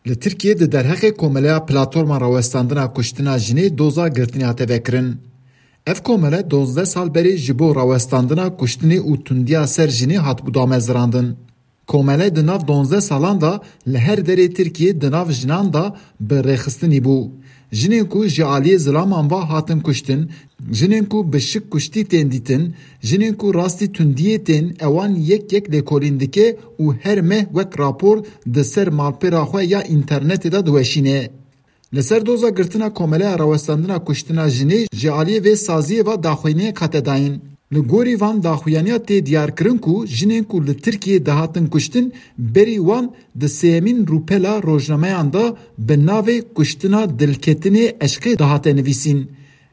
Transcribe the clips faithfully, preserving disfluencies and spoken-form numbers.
Li Tirkiyê di derheqê Komeleya Platforma Rawestandina Kuştina Jinê doza girtinê hate vekirin. Ev komele duwazdeh sal berê ji bo rawestandina kuştinê û tundiya ser jinê hatibû damezirandin. Komele di nav duwazdeh salan de li her derê Tirkiyê di nav jinan de bi rêxistinî bû. Jinên ku ji aliyê zilaman ve hatin kuştin, jinên ku bi şik kuştî tên dîtin, jinên ku rastî tundiyê tên, ewan yek yek lêkolîn dike û her meh wek rapor di ser malpera xwe ya înternetê de diweşîne. Li ser doza girtina Komeleya Rawestandina Kuştina Jinê ji aliyê vê saziyê ve daxuyaniyek hate dayîn. Li gorî van daxuyaniya tê diyarkirin ku jinên ku li Tirkiyê dihatin kuştin, berî wan di sêyemîn rûpela rojnameyan de bi navê Kuştina Dilketinê Eşqê dihate nivîsîn.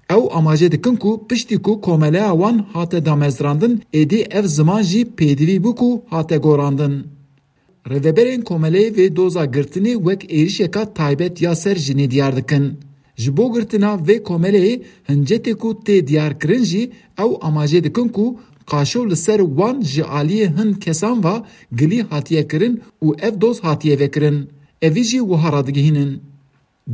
Ew amaje dikin ku piştî ku komeleya wan hate damezrandin, êdî ev ziman jî pêdivî bû ku hate gorandin. Rêveberên komeleyê vê doza girtinê wek êrişeka taybet ya ser jinê diyar dikin. Ji bo girtina vê komeleyê hincetê ku tê diyarkirin jî ew amaje dikin ku qaşo li ser wan ji aliyê hin kesan ve gilî hatiye kirin û ev doz hatiye vekirin. Evî jî wiha radigihînin.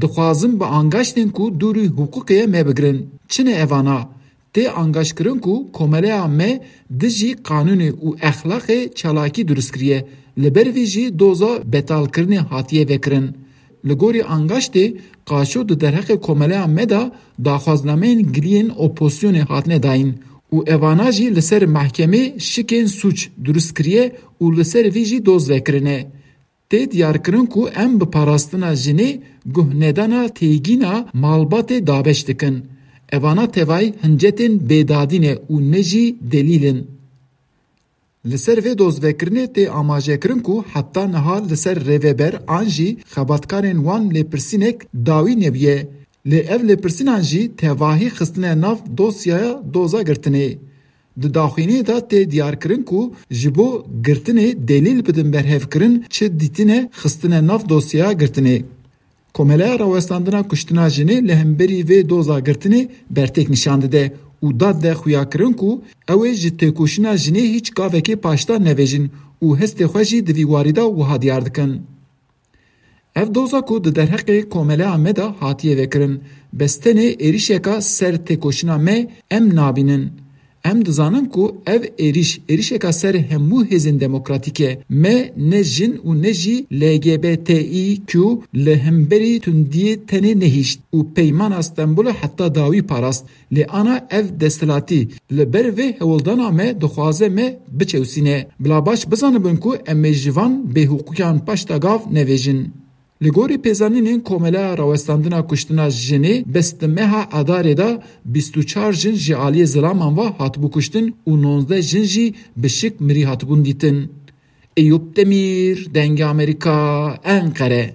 Dixwazin bi angaştên ku dûrî hiqûqê ye me bigirin. Çi ne evana? Tê angaşkirin ku komeleya me dijî qanûnê û exlaqê çalakî durust kiriye. Li ber vî jî doza betalkirinê hatiye vekirin. Li gorî angaştê, qaşo di derheqê komeleya me de daxwaznameyên giliyên opozisyonê hatine dayîn û evana jî li ser mehkemê şikên sûc durust kiriye û li ser vî jî doz vekirine. Tê diyarkirin ku em bi parastina jinê guhnedana têgîna malbatê dabeş dikin. Evana tevayî hincetên bêdadî ne û ne jî delîl in. Li ser vê dozvekirinê tê amajekirin ku heta niha li ser rêveber an jî xebatkarên wan lêpirsînek dawî nebûye. Lê ev lêpirsînan jî tevahî xistine nav dosyaya doza girtinê. Di daxuyaniyê de tê diyarkirin ku ji bo girtinê delîl bidin berhevkirin çi dîtine xistine nav dosyaya girtinê. Komeleya Rawestandina Kuştina Jinê li hemberî vê doza girtinê bertek nîşan dide û dad de xuyakirin ku ew ê ji têkoşîna jinê hîç gavekê paşda nevêjin û hestê xwe jî di vî warî de wiha diyar dikin. Ev doza ku di derheqê komeleya me de hatiye vekirin, bes tenê êrişeka ser têkoşîna me em nabînin. Em dizanin ku ev êrîş, êrişeka ser hemû hêzên demokratîk e. Me ne jin û ne jî L G B T İ Q li hemberî tundiyê tenê nehişt û Peymana Stenbolê heta dawî parast. Lê ana ev desthilatî li ber vê hewldana me dixwaze me biçewsîne. Bila baş bizanibin ku em ê ji van bêhiqûkiyan paşta gav nevêjin. Li gorî pêzanînên Komeleya Rawestandina Kuştina Jinê, bes di meha Adarê de bîst û çar jin ji aliyê zilaman ve hatibû kuştin û nozdeh jin jî bi şik mirî hatibûn dîtin. Eyûp Demîr, Dengê Amerîka, Enqere.